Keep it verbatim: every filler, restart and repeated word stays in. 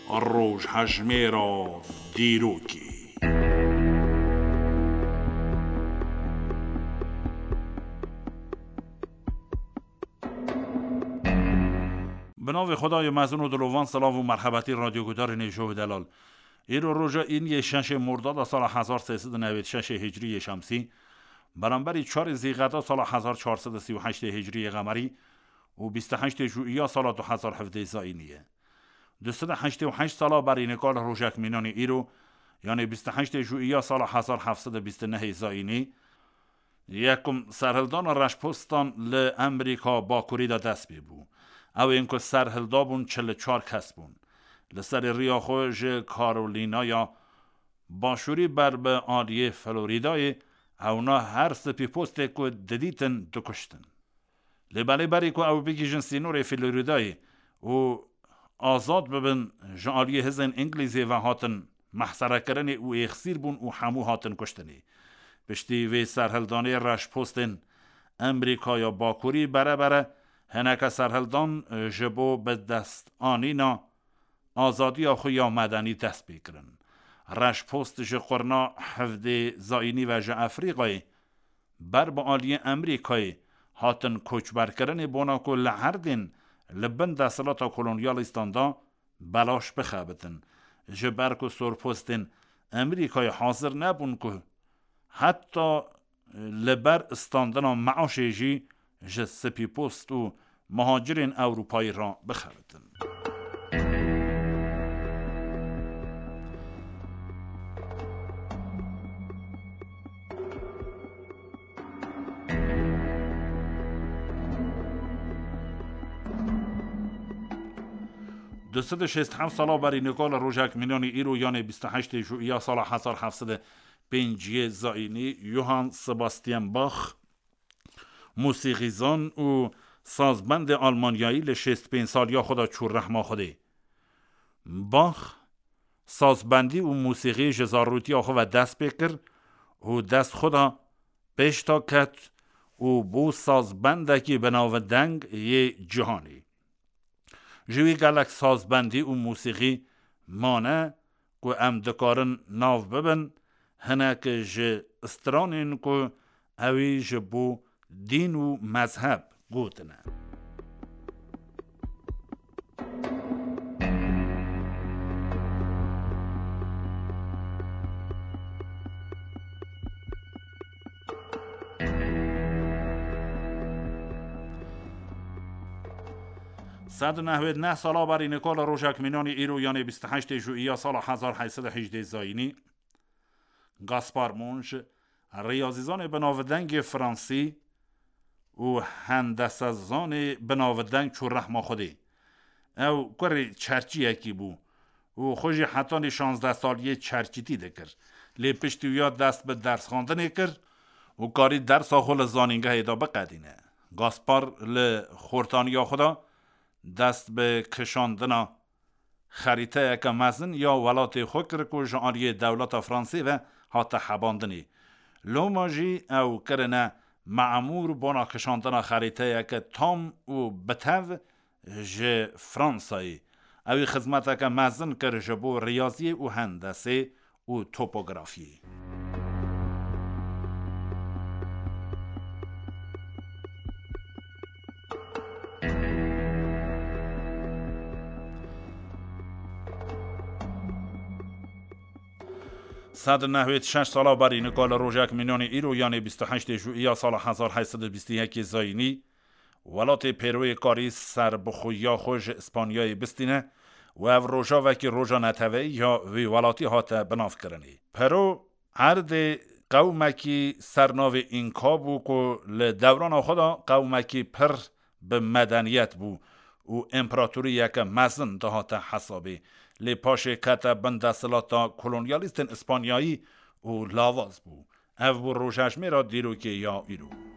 Rojhejmêra dîrokê. Bi navê Xwedayê mezin û dilovan, silav û merhebetî radyogudarên hêja û delal. Îro roja îniyê şeşê Mordada sala hezar sê sed û newêd şeşê hicriyê şemsî, beramberî çarê Zîqeda sala hezar çar sed û sî û heştê hicriyê qemerî û bîst û heştê Jûiya sala du hezar hevdeh zayînî ye. Du sed û heştê û heşt sala berî nika li rojek mînanî îro, yanê bîst û heştê Jûiya sala hezar heft sed û bîst û nehê zayînî, yekum serhildana reşpostan li Emerîka Bakurî de dest pê bû. Ew ên ku serhilda bûn çil û çar kes bûn. Li serê riya xwe ji Karolînaya Başûrî ber bi aliyê Florîdayê, ewna her spîpostê ku didîtin dikuştin. Lê belê berî ku ew bigihîjin sînorê Florîdayê û azad bibin, ji aliyê hizên Îngilîzê ve hatin mehserekirinê û êxsîr bûn û hemû hatin kuştinê. Piştî vê serhildanê reşpostên Emerîkaya Bakurî bere bere hineke serhildan ji bo bi dest anîna azadiya xwe ya medenî dest pê kirin. Reşpost ji qurna hevdê zayînî ve ji Efrîqayê ber bi aliyê Emerîkayê hatin koçberkirinê bona ku li erdên li bin desthilata kolonyalîstan de belaş bixebitin. Ji ber ku sorpostên Emerîkayê hazir nebûn ku heta li ber standina meaşê jî ji spîpost û muhacirên Ewropayî re bixebitin. Du sed û şêst heft sala berî nika li rojek mînanî îro, yanê bîst û heştê Jûiya sala hezar heft sed û pêncî zayînî, Johann Sebastian Bach, mûsîqîzan û sazbendê Almanyayî li şêst pênc saliya xwe de çû rehma Xwedê. Bach sazbendî û mûsîqî ji zarûtiya xwe ve dest pê kir û dest xwe de pêş de ket û bû sazbendekî binavdeng yê cîhanê. Ji wî gelek sazbendî û mûsîqî mane ku em dikarin nav bibin, hinek ji stranên ku ewî ji bo dîn û mezheb gotine. Sed û nehwêd neh sala berî nika li rojek mînanî îro, yanê bîst û heştê Jûiya sala hezar heyt sed û hejdê zayînî, Gaspar Monge, riyazîzanê binavdengê fransî û hendesezanê binavdeng çû rehma Xwedê. Ew kurê çerçiyekî bû û xwe jî hetanî şazdeh saliyê çerçîtî dikir. Lê piştî wiya dest bi dersxwendinê kir û karî dersa xwe li zanîngehê de biqedîne. Gaspar li xortaniya xwe de dest bi kişandina xerîteyeke mezin ya welatê xwe kir ku ji aliyê dewleta Fransê ve hate hebandinê. Loma jî ew kirine memûr bona kişandina xerîteyeke tam û bitev ji Fransayê. Ewî xizmeteke mezin kir ji bo riyaziyê û hendesê û topografiyê. Sed û nehwêd şeş sala berî nika li rojek mînanê îro, yanê bîst û heştê Jûiya sala hezar heyt sed û bîst û yekê zayînî, welatê Pêroyê karî serbixweyiya xwe ji Îspanyayê bistîne û ev roja wekî roja neteweyî ya wî welatî hate binavkirinê. Pero erdê qewmekî ser navê Înka bû ku li dewrana xwe de qewmekî pir bi medeniyet bû û împeratoriyeke mezin dihate hesabê. Lê paşê kete bin desthilata kolonyalîstên Îspanyayî û lawaz bû. Ev bû rojejmêra dîrokê ya îro.